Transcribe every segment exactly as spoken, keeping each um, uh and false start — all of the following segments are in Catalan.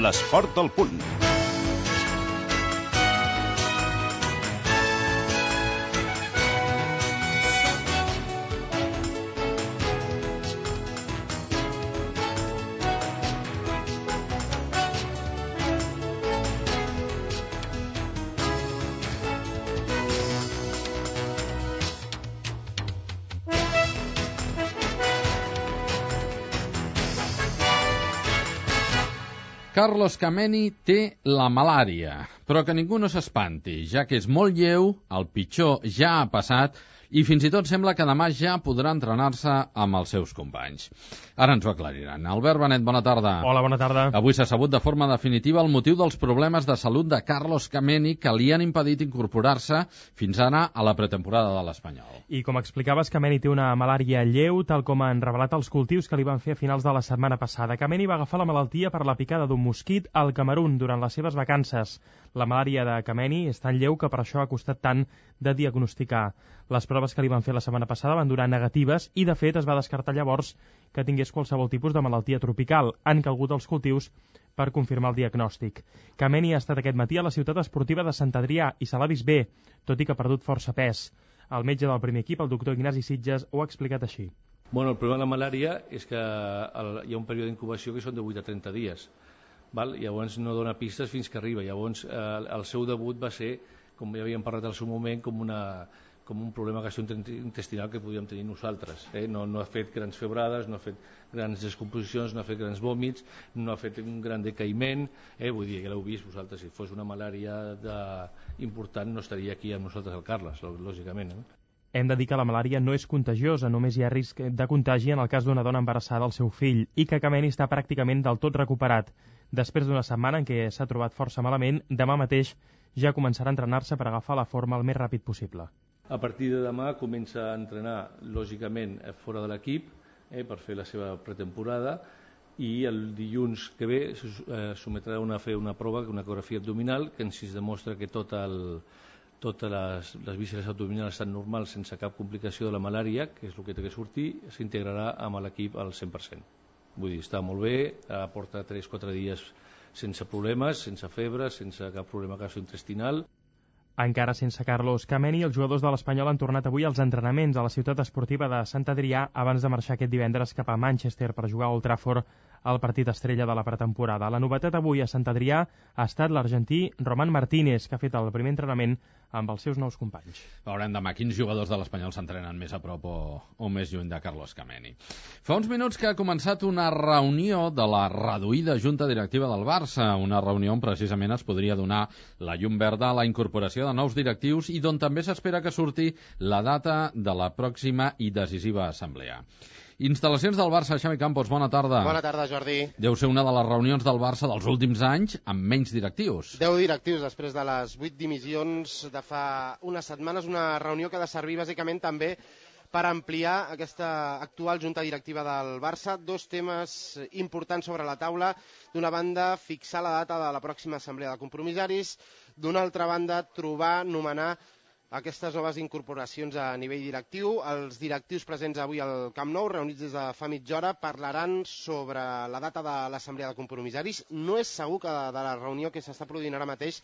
l'esport al punt. Carlos Kameni té la malària, però que ningú no s'espanti, ja que és molt lleu, el pitjor ja ha passat i fins i tot sembla que demà ja podrà entrenar-se amb els seus companys. Ara ens ho aclariran. Albert Benet, bona tarda. Hola, bona tarda. Avui s'ha sabut de forma definitiva el motiu dels problemes de salut de Carlos Kameni que li han impedit incorporar-se fins ara a la pretemporada de l'Espanyol. I com explicaves, Kameni té una malària lleu, tal com han revelat els cultius que li van fer a finals de la setmana passada. Kameni va agafar la malaltia per la picada d'un mosquit al Camerun durant les seves vacances. La malària de Kameni és tan lleu que per això ha costat tant de diagnosticar. Les proves que li van fer la setmana passada van durar negatives i, de fet, es va descartar llavors que tingués qualsevol tipus de malaltia tropical. Han calgut els cultius per confirmar el diagnòstic. Kameni ha estat aquest matí a la ciutat esportiva de Sant Adrià i se l'ha vist bé, tot i que ha perdut força pes. El metge del primer equip, el doctor Ignasi Sitges, ho ha explicat així. Bueno, el problema de la malària és que el, hi ha un període d'incubació que són de vuit a trenta dies. Val? Llavors no dona pistes fins que arriba. Llavors eh, el seu debut va ser, com ja havíem parlat al seu moment, com, una, com un problema gastrointestinal que podíem tenir nosaltres. Eh? No, no ha fet grans febrades, no ha fet grans descomposicions, no ha fet grans vòmits, no ha fet un gran decaïment. Eh? Vull dir, que l'heu vist vosaltres, si fos una malària de... important no estaria aquí amb nosaltres el Carles, lògicament. Eh? Hem de dir que la malària no és contagiosa, només hi ha risc de contagi en el cas d'una dona embarassada al seu fill i que Kameni està pràcticament del tot recuperat. Després d'una setmana en què s'ha trobat força malament, demà mateix ja començarà a entrenar-se per agafar la forma el més ràpid possible. A partir de demà comença a entrenar, lògicament, fora de l'equip, eh, per fer la seva pretemporada, i el dilluns que ve eh, sometrà a fer una prova, una ecografia abdominal, que ens demostra que tot el, totes les, les vísceres abdominals estan normals sense cap complicació de la malària, que és el que té que sortir, s'integrarà amb l'equip al cent per cent. Vull dir, està molt bé, porta tres o quatre dies sense problemes, sense febre, sense cap problema gastrointestinal. Encara sense Carlos Kameni, els jugadors de l'Espanyol han tornat avui als entrenaments a la ciutat esportiva de Sant Adrià abans de marxar aquest divendres cap a Manchester per jugar a Old Trafford al partit estrella de la pretemporada. La novetat avui a Sant Adrià ha estat l'argentí Román Martínez, que ha fet el primer entrenament amb els seus nous companys. Veurem demà quins jugadors de l'Espanyol s'entrenen més a prop o, o més lluny de Carlos Kameni. Fa uns minuts que ha començat una reunió de la reduïda Junta Directiva del Barça, una reunió on precisament es podria donar la llum verda a la incorporació de nous directius i d'on també s'espera que surti la data de la pròxima i decisiva assemblea. Instal·lacions del Barça, Xavi Campos, bona tarda. Bona tarda, Jordi. Deu ser una de les reunions del Barça dels últims anys amb menys directius. Deu directius després de les vuit dimissions de fa unes setmanes, una reunió que ha de servir bàsicament també per ampliar aquesta actual junta directiva del Barça. Dos temes importants sobre la taula. D'una banda, fixar la data de la pròxima assemblea de compromissaris. D'una altra banda, trobar, nomenar aquestes noves incorporacions a nivell directiu. Els directius presents avui al Camp Nou, reunits des de fa mitja hora, parlaran sobre la data de l'assemblea de compromissaris. No és segur que de la reunió que s'està produint ara mateix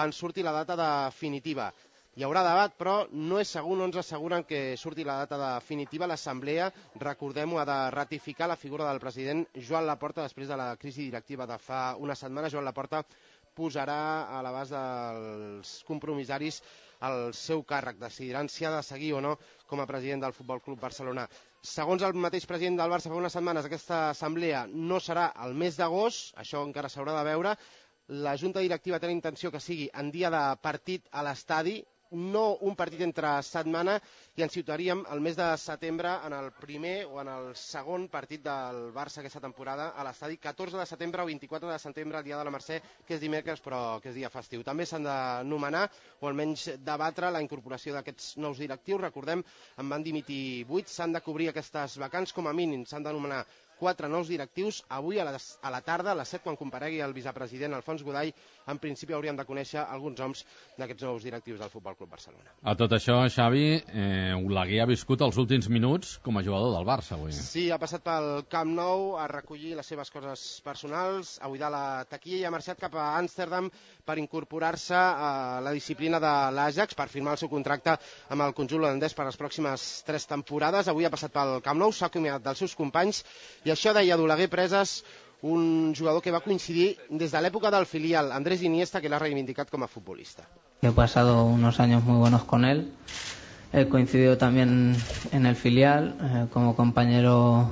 en surti la data definitiva. Hi haurà debat, però no és segur, no ens asseguren que surti la data definitiva. L'assemblea, recordem-ho, ha de ratificar la figura del president Joan Laporta després de la crisi directiva de fa una setmana. Joan Laporta posarà a l'abast dels compromissaris el seu càrrec, decidiran si ha de seguir o no com a president del Futbol Club Barcelona. Segons el mateix president del Barça fa unes setmanes, aquesta assemblea no serà el mes d'agost, això encara s'haurà de veure. La Junta Directiva té la intenció que sigui en dia de partit a l'estadi, no un partit entre setmana, i ens situaríem el mes de setembre en el primer o en el segon partit del Barça aquesta temporada a l'estadi, catorze de setembre o vint-i-quatre de setembre, el dia de la Mercè, que és dimecres però que és dia festiu. També s'han de nomenar o almenys debatre la incorporació d'aquests nous directius. Recordem, en van dimitir vuit, s'han de cobrir aquestes vacants com a mínim, s'han de nomenar quatre nous directius. Avui a, les, a la tarda, a les set, quan comparegui el vicepresident Alfons Godall, en principi hauríem de conèixer alguns noms d'aquests nous directius del Futbol Club Barcelona. A tot això, Xavi, eh, Oleguer ha viscut els últims minuts com a jugador del Barça avui. Sí, ha passat pel Camp Nou a recollir les seves coses personals, a buidar la taquilla i ha marxat cap a Amsterdam per incorporar-se a la disciplina de l'Ajax, per firmar el seu contracte amb el conjunt holandès per les pròximes tres temporades. Avui ha passat pel Camp Nou, s'ha acomiadat dels seus companys i això deia d'Oleguer Preses, un jugador que va coincidir des de l'època del filial, Andrés Iniesta, que l'ha reivindicat com a futbolista. He pasado unos años muy buenos con él. He coincidido también en el filial. Eh, como compañero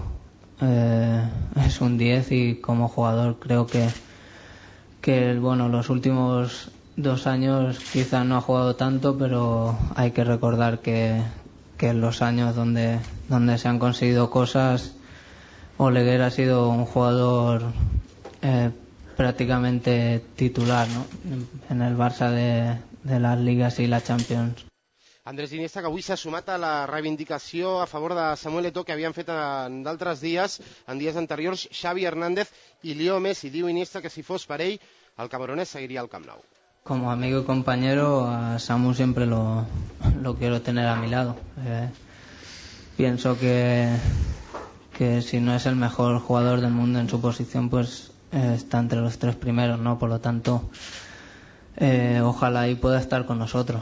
eh, es un diez y como jugador creo que, que bueno, los últimos dos años quizás no ha jugado tanto, pero hay que recordar que, que en los años donde, donde se han conseguido cosas, Oleguer ha sido un jugador eh, prácticamente titular, ¿no?, en el Barça de, de las ligas y la Champions. Andrés Iniesta, que avui s'ha sumat a la reivindicació a favor de Samuel Eto'o que havien fet en d'altres dies, en dies anteriors, Xavi Hernández i Leo Messi. Diu Iniesta que si fos per ell, el camerunès seguiria al Camp Nou. Como amigo y compañero, a Samu siempre lo, lo quiero tener a mi lado. Eh, pienso que... que si no es el mejor jugador del mundo en su posición, pues eh, está entre los tres primeros, ¿no? Por lo tanto, eh, ojalá y pueda estar con nosotros.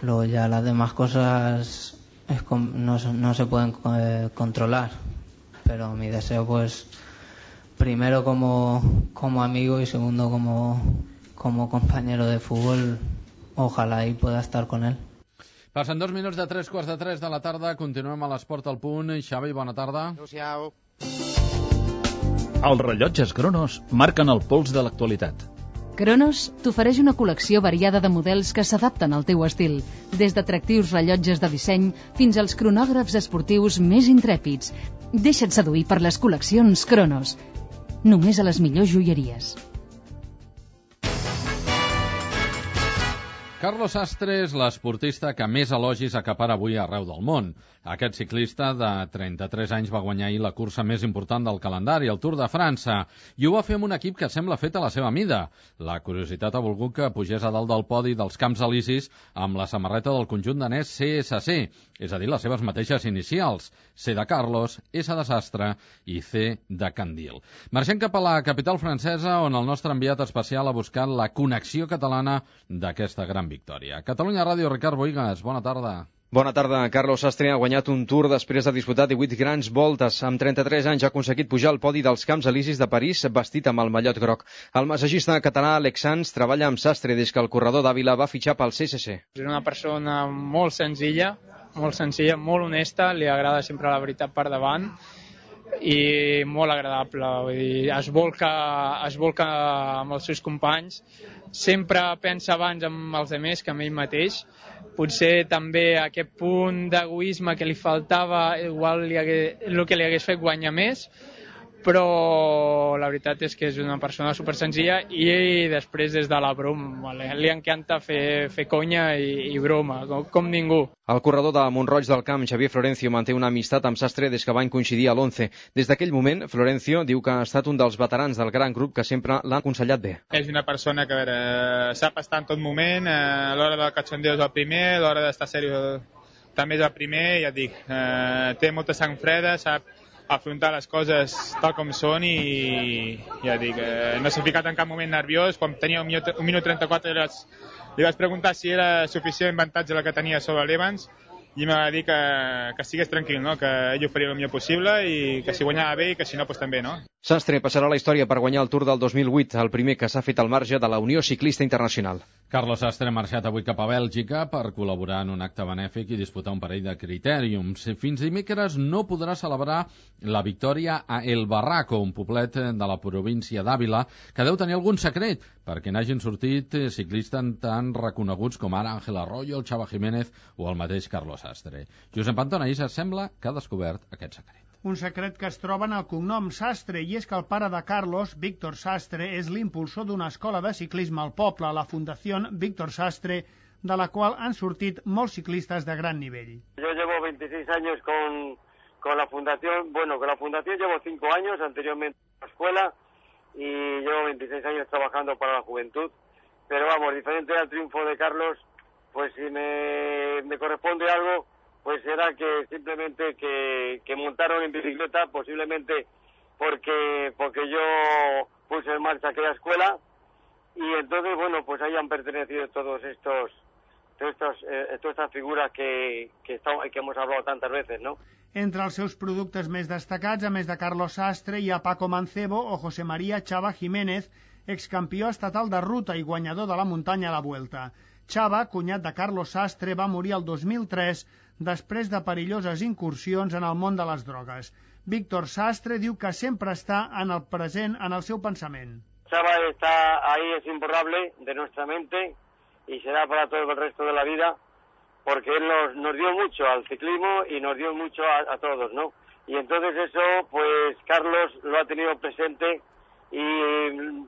Luego ya las demás cosas es con, no, no se pueden eh, controlar, pero mi deseo, pues, primero como, como amigo y segundo como, como compañero de fútbol, ojalá y pueda estar con él. Passen dos minuts de tres quarts de tres de la tarda, continuem a l'Esport al Punt. Xavi, bona tarda. Adéu-siau. Els rellotges Cronos marquen el pols de l'actualitat. Cronos t'ofereix una col·lecció variada de models que s'adapten al teu estil, des d'atractius rellotges de disseny fins als cronògrafs esportius més intrèpids. Deixa't seduir per les col·leccions Cronos. Només a les millors joieries. Carlos Sastre és l'esportista que més elogis acapara avui arreu del món. Aquest ciclista de trenta-tres anys va guanyar ahir la cursa més important del calendari, el Tour de França, i ho va fer amb un equip que sembla fet a la seva mida. La curiositat ha volgut que pugés a dalt del podi dels Camps Elisis amb la samarreta del conjunt danès C S C, és a dir, les seves mateixes inicials, C de Carlos, S de Sastre i C de Candil. Marxem cap a la capital francesa, on el nostre enviat especial ha buscat la connexió catalana d'aquesta gran victòria. Catalunya Ràdio, Ricard Boigas, bona tarda. Bona tarda. Carlos Sastre ha guanyat un Tour després de disputar divuit grans voltes. Amb trenta-tres anys ha aconseguit pujar al podi dels Camps Elisis de París vestit amb el mallot groc. El massatgista català Alex Sanz treballa amb Sastre des que el corredor d'Àvila va fitxar pel C S C. És una persona molt senzilla, molt senzilla, molt honesta, li agrada sempre la veritat per davant i molt agradable. Vull dir, es volca, es volca amb els seus companys, sempre pensa abans amb els altres que amb ell mateix. Potser també aquest punt d'egoisme que li faltava, igual li hagués, el que li hagués fet guanyar més, però la veritat és que és una persona super senzilla i després des de la broma, li encanta fer, fer conya i, i broma, com, com ningú. El corredor de Mont-roig del Camp, Xavier Florencio, manté una amistat amb Sastre des que van coincidir a l'onze. Des d'aquell moment, Florencio diu que ha estat un dels veterans del gran grup que sempre l'ha aconsellat bé. És una persona que a veure, sap estar en tot moment, a l'hora del cachondeo és el primer, a l'hora d'estar seriós també és el primer, ja et dic, eh, té molta sang freda, sap afrontar les coses tal com són i ja dic, eh, no s'ha ficat en cap moment nerviós. Quan tenia un minut, un minut trenta-quatre li vaig preguntar si era suficient avantatge la que tenia sobre l'Evans i em va dir que, que estigués tranquil, no? Que ell ho faria el millor possible i que si guanyava bé i que si no, doncs també, no? Sastre passarà a la història per guanyar el Tour del dos mil vuit, el primer que s'ha fet al marge de la Unió Ciclista Internacional. Carlos Sastre ha marxat avui cap a Bèlgica per col·laborar en un acte benèfic i disputar un parell de critèriums. Fins dimecres no podrà celebrar la victòria a El Barraco, un poblet de la província d'Àvila, que deu tenir algun secret, perquè n'hagin sortit ciclistes tan reconeguts com ara Ángel Arroyo, el Chava Jiménez o el mateix Carlos Sastre. Josep Anton Aïssa sembla que ha descobert aquest secret. Un secret que es troba en el cognom Sastre, i és que el pare de Carlos, Víctor Sastre, és l'impulsor d'una escola de ciclisme al poble, la Fundació Víctor Sastre, de la qual han sortit molts ciclistes de gran nivell. Yo llevo veintiséis años con, con la fundación, bueno, con la fundación llevo cinco años, anteriormente en la escuela, y llevo veintiséis años trabajando para la juventud, pero vamos, diferente al triunfo de Carlos, pues si me, me corresponde algo, pues será que simplemente que, que montaron en bicicleta, posiblemente porque porque yo puse en marcha aquella escuela, y entonces, bueno, pues hayan pertenecido todos estos, todos estos eh, todas estas figuras que, que, estamos, que hemos hablado tantas veces, ¿no? Entre els seus productes més destacats, a més de Carlos Sastre, hi ha Paco Mancebo o José María Chava Jiménez, excampió estatal de ruta i guanyador de la muntanya a la Vuelta. Chava, cunyat de Carlos Sastre, va morir el dos mil tres després de perilloses incursions en el món de les drogues. Víctor Sastre diu que sempre està en el present en el seu pensament. Chava está ahí, es imborrable de nuestra mente y será para todo el resto de la vida, porque él nos, nos dio mucho al ciclismo y nos dio mucho a, a todos, ¿no? Y entonces eso, pues Carlos lo ha tenido presente, y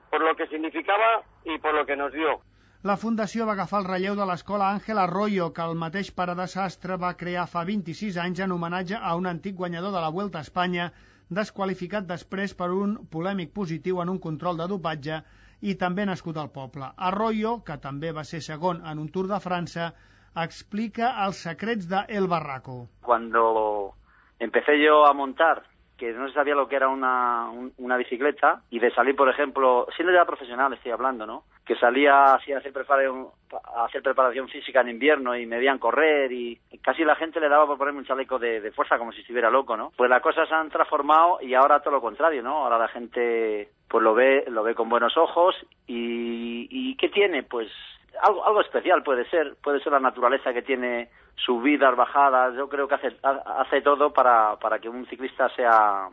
por lo que significaba y por lo que nos dio. La Fundació va agafar el relleu de l'escola Ángel Arroyo, que el mateix pare de Sastre va crear fa vint-i-sis anys en homenatge a un antic guanyador de la Vuelta a Espanya, desqualificat després per un polèmic positiu en un control de dopatge i també nascut al poble. Arroyo, que també va ser segon en un Tour de França, explica els secrets de El Barraco. Cuando empecé yo a montar, que no sabía lo que era una, un, una bicicleta, y de salir, por ejemplo, siendo ya profesional estoy hablando, ¿no? Que salía así a hacer preparación, a hacer preparación física en invierno y me veían correr, y casi la gente le daba por ponerme un chaleco de, de fuerza como si estuviera loco, ¿no? Pues las cosas se han transformado y ahora todo lo contrario, ¿no? Ahora la gente pues lo ve, lo ve con buenos ojos, y, y ¿qué tiene? Pues algo, algo especial puede ser, puede ser la naturaleza que tiene, subidas, bajadas. Yo creo que hace, hace todo para, para que un ciclista sea,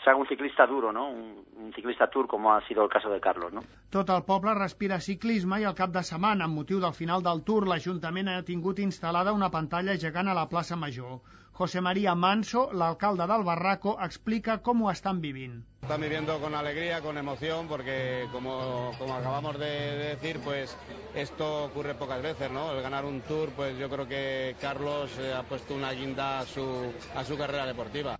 sea un ciclista duro, ¿no? Un, un ciclista tour, como ha sido el caso de Carlos, ¿no? Tot el poble respira ciclisme, i al cap de setmana, amb motiu del final del Tour, l'Ajuntament ha tingut instal·lada una pantalla gegant a la plaça Major. José María Manso, l'alcalde del Barraco, explica com ho estan vivint. Están viviendo con alegría, con emoción, porque como, como acabamos de, de decir, pues esto ocurre pocas veces, ¿no? El ganar un Tour, pues yo creo que Carlos eh, ha puesto una guinda a su, a su carrera deportiva.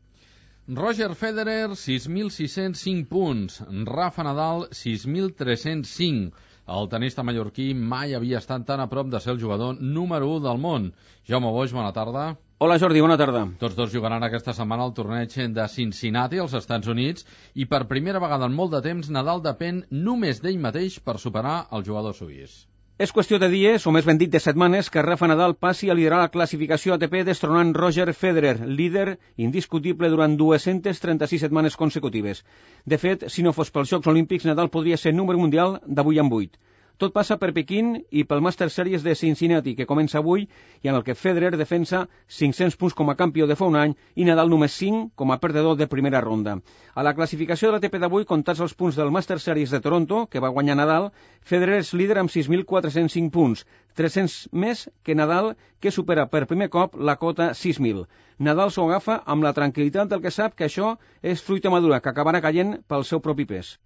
Roger Federer, sis mil sis-cents cinc punts. Rafa Nadal, sis mil tres-cents cinc. El tenista mallorquí mai havia estat tan a prop de ser el jugador número u del món. Jaume Boix, bona tarda. Hola Jordi, bona tarda. Tots dos jugaran aquesta setmana al torneig de Cincinnati, als Estats Units, i per primera vegada en molt de temps Nadal depèn només d'ell mateix per superar el jugador suís. És qüestió de dies, o més ben dit de setmanes, que Rafa Nadal passi a liderar la classificació A T P destronant Roger Federer, líder indiscutible durant dues-centes trenta-sis setmanes consecutives. De fet, si no fos pels Jocs Olímpics, Nadal podria ser número mundial d'avui en vuit. Tot passa per Pequín i pel Master Series de Cincinnati, que comença avui i en el que Federer defensa cinc-cents punts com a campió de fa un any i Nadal només cinc com a perdedor de primera ronda. A la classificació de l'A T P d'avui, comptats els punts del Master Series de Toronto, que va guanyar Nadal, Federer és líder amb sis mil quatre-cents cinc punts, tres-cents més que Nadal, que supera per primer cop la cota sis mil. Nadal s'ho agafa amb la tranquil·litat del que sap que això és fruita madura, que acabarà caient pel seu propi pes.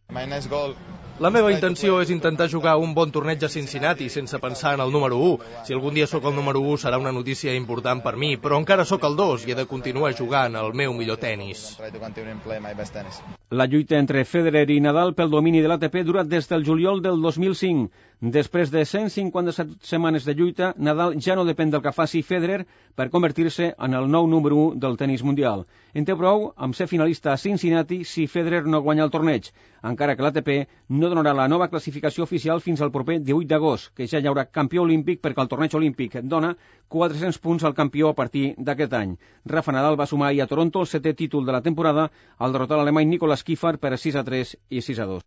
La meva intenció és intentar jugar un bon torneig a Cincinnati sense pensar en el número u. Si algun dia sóc el número u serà una notícia important per mi, però encara sóc el dos i he de continuar jugant el meu millor tennis. La lluita entre Federer i Nadal pel domini de l'A T P dura des del juliol del dos mil cinc. Després de cent cinquanta-set setmanes de lluita, Nadal ja no depèn del que faci Federer per convertir-se en el nou número u del tenis mundial. En té prou amb ser finalista a Cincinnati si Federer no guanya el torneig, encara que l'A T P no donarà la nova classificació oficial fins al proper divuit d'agost, que ja hi haurà campió olímpic perquè el torneig olímpic dona quatre-cents punts al campió a partir d'aquest any. Rafa Nadal va sumar ahir a Toronto el setè títol de la temporada al derrotar l'alemany Nicolas Kieffer per sis a tres i sis a dos.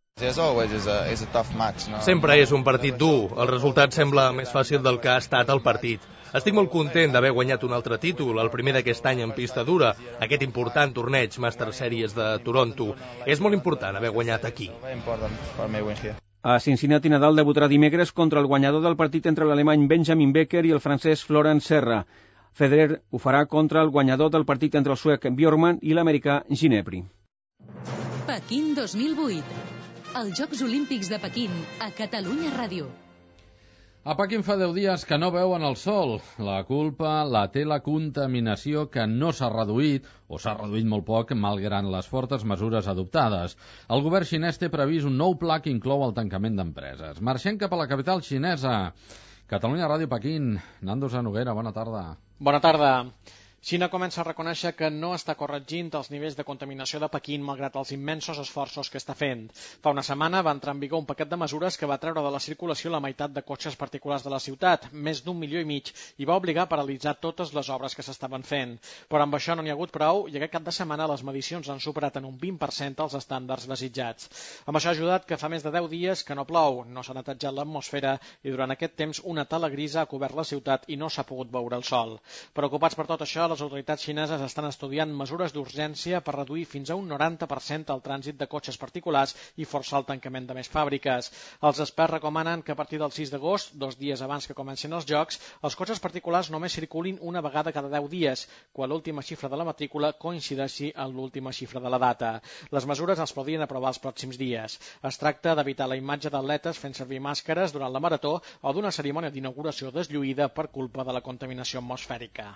Sempre és un partit dur. El resultat sembla més fàcil del que ha estat el partit. Estic molt content d'haver guanyat un altre títol, el primer d'aquest any en pista dura, aquest important torneig Master Series de Toronto. És molt important haver guanyat aquí. A Cincinnati, Nadal debutarà dimecres contra el guanyador del partit entre l'alemany Benjamin Becker i el francès Florent Serra. Federer ho farà contra el guanyador del partit entre el suec Bjorkman i l'americà Ginepri. Pequín dos mil vuit. Els Jocs Olímpics de Pequín a Catalunya Ràdio. A Pequín fa deu dies que no veuen el sol. La culpa la té la contaminació, que no s'ha reduït, o s'ha reduït molt poc, malgrat les fortes mesures adoptades. El govern xinès té previst un nou pla que inclou el tancament d'empreses. Marxem cap a la capital xinesa. Catalunya Ràdio Pequín. Nando Noguera, bona tarda. Bona tarda. Xina comença a reconèixer que no està corregint els nivells de contaminació de Pequín malgrat els immensos esforços que està fent. Fa una setmana va entrar en vigor un paquet de mesures que va treure de la circulació la meitat de cotxes particulars de la ciutat, més d'un milió i mig, i va obligar a paralitzar totes les obres que s'estaven fent. Però amb això no n'hi ha hagut prou i aquest cap de setmana les medicions han superat en un vint per cent els estàndards desitjats. Amb això ha ajudat que fa més de deu dies que no plou, no s'ha netejat l'atmosfera i durant aquest temps una tala grisa ha cobert la ciutat i no s'ha pogut veure el sol. Preocupats per tot això, les autoritats xineses estan estudiant mesures d'urgència per reduir fins a un noranta per cent el trànsit de cotxes particulars i forçar el tancament de més fàbriques. Els experts recomanen que a partir del sis d'agost, dos dies abans que comencin els jocs, els cotxes particulars només circulin una vegada cada deu dies, quan l'última xifra de la matrícula coincideixi amb l'última xifra de la data. Les mesures els podrien aprovar els pròxims dies. Es tracta d'evitar la imatge d'atletes fent servir màscares durant la marató o d'una cerimònia d'inauguració deslluïda per culpa de la contaminació atmosfèrica.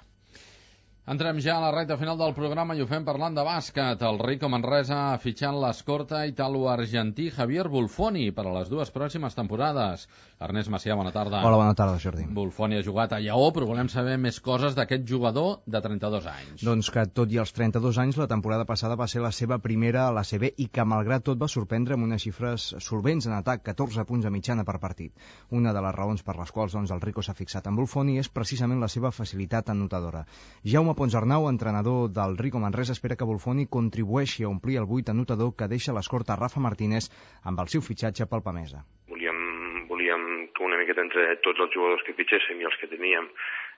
Entrem ja a la recta final del programa i ho fem parlant de bàsquet. El Rico Manresa ha fitxat l'escorta italo-argentí Javier Buffoni per a les dues pròximes temporades. Ernest Macià, bona tarda. Hola, bona tarda, Jordi. Buffoni ha jugat a Lleó, però volem saber més coses d'aquest jugador de trenta-dos anys. Doncs que tot i els trenta-dos anys, la temporada passada va ser la seva primera a l'A C B i que malgrat tot va sorprendre amb unes xifres solvents en atac, catorze punts a mitjana per partit. Una de les raons per les quals doncs, el Rico s'ha fixat en Buffoni és precisament la seva facilitat anotadora. Jaume Ponsarnau, entrenador del Rico Manresa, espera que Buffoni contribueixi a omplir el buit anotador que deixa l'escorta Rafa Martínez amb el seu fitxatge pel Pamesa. Volíem, volíem que una miqueta entre tots els jugadors que fitxéssim i els que teníem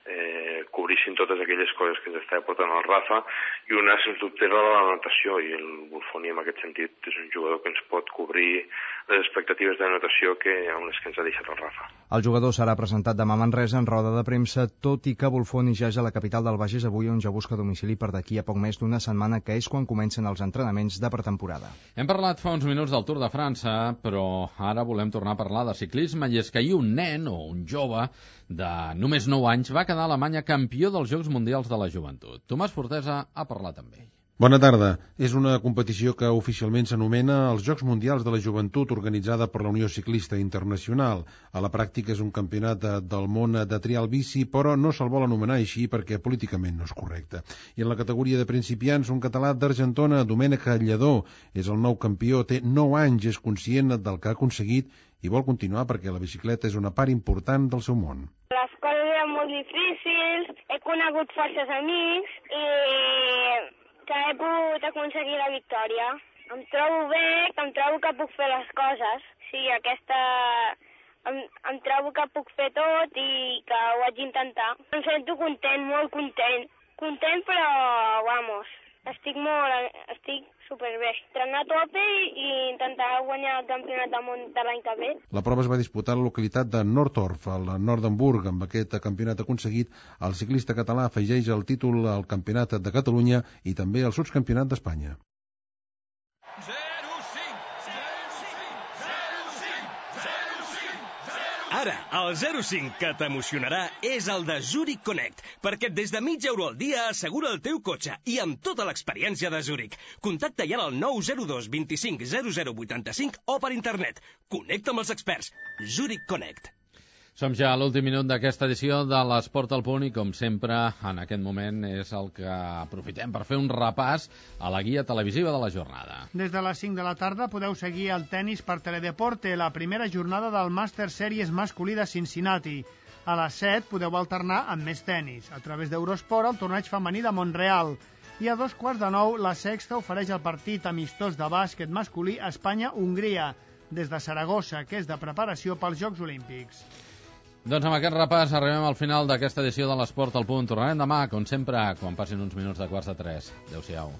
eh, cobrissin totes aquelles coses que ens estava portant el Rafa, i una, sens dubte, era la natació, i el Buffoni en aquest sentit és un jugador que ens pot cobrir les expectatives de natació que, amb les que ens ha deixat el Rafa. El jugador serà presentat demà a Manresa en roda de premsa, tot i que Buffoni ja és a la capital del Bages avui, on ja busca domicili per d'aquí a poc més d'una setmana, que és quan comencen els entrenaments de pretemporada. Hem parlat fa uns minuts del Tour de França, però ara volem tornar a parlar de ciclisme, i és que ahir un nen o un jove de només nou anys va quedar a Alemanya campió dels Jocs Mundials de la Joventut. Tomàs Fortesa ha parlat amb ell. Bona tarda. És una competició que oficialment s'anomena els Jocs Mundials de la Joventut, organitzada per la Unió Ciclista Internacional. A la pràctica és un campionat de, del món de trial bici, però no se'l vol anomenar així perquè políticament no és correcte. I en la categoria de principiants, un català d'Argentona, Domènec Lledó, és el nou campió, té nou anys, és conscient del que ha aconseguit i vol continuar perquè la bicicleta és una part important del seu món. Les coses eren molt difícils, he conegut forces amics i que he pogut aconseguir la victòria. Em trobo bé, que em trobo que puc fer les coses. Sí, aquesta... Em, em trobo que puc fer tot i que ho haig d'intentar. Em sento content, molt content. Content, però, vamos, estic molt... estic superbé. Entrenar a tope i intentar guanyar el campionat del món de l'any que ve. La prova es va disputar a la localitat de Nordorf, al nord d'Hamburg. Amb aquest campionat aconseguit, el ciclista català afegeix el títol al Campionat de Catalunya i també al Subcampionat d'Espanya. Ara, el zero cinc que t'emocionarà és el de Zurich Connect, perquè des de mig euro al dia assegura el teu cotxe i amb tota l'experiència de Zurich. Contacta ja al nou zero dos vint-i-cinc zero zero vuitanta-cinc o per internet. Connecta amb els experts. Zurich Connect. Som ja a l'últim minut d'aquesta edició de l'Esport al Punt i, com sempre, en aquest moment és el que aprofitem per fer un repàs a la guia televisiva de la jornada. Des de les cinc de la tarda podeu seguir el tennis per Teledeporte, la primera jornada del Master Series masculí de Cincinnati. A les set podeu alternar amb més tennis. A través d'Eurosport, el torneig femení de Montreal. I a dos quarts de nou, la Sexta ofereix el partit amistós de bàsquet masculí Espanya-Hongria, des de Saragossa, que és de preparació pels Jocs Olímpics. Doncs amb aquest repàs arribem al final d'aquesta edició de l'Esport al Punt. Tornarem demà, com sempre, quan passin uns minuts de quarts de tres. Adéu-siau.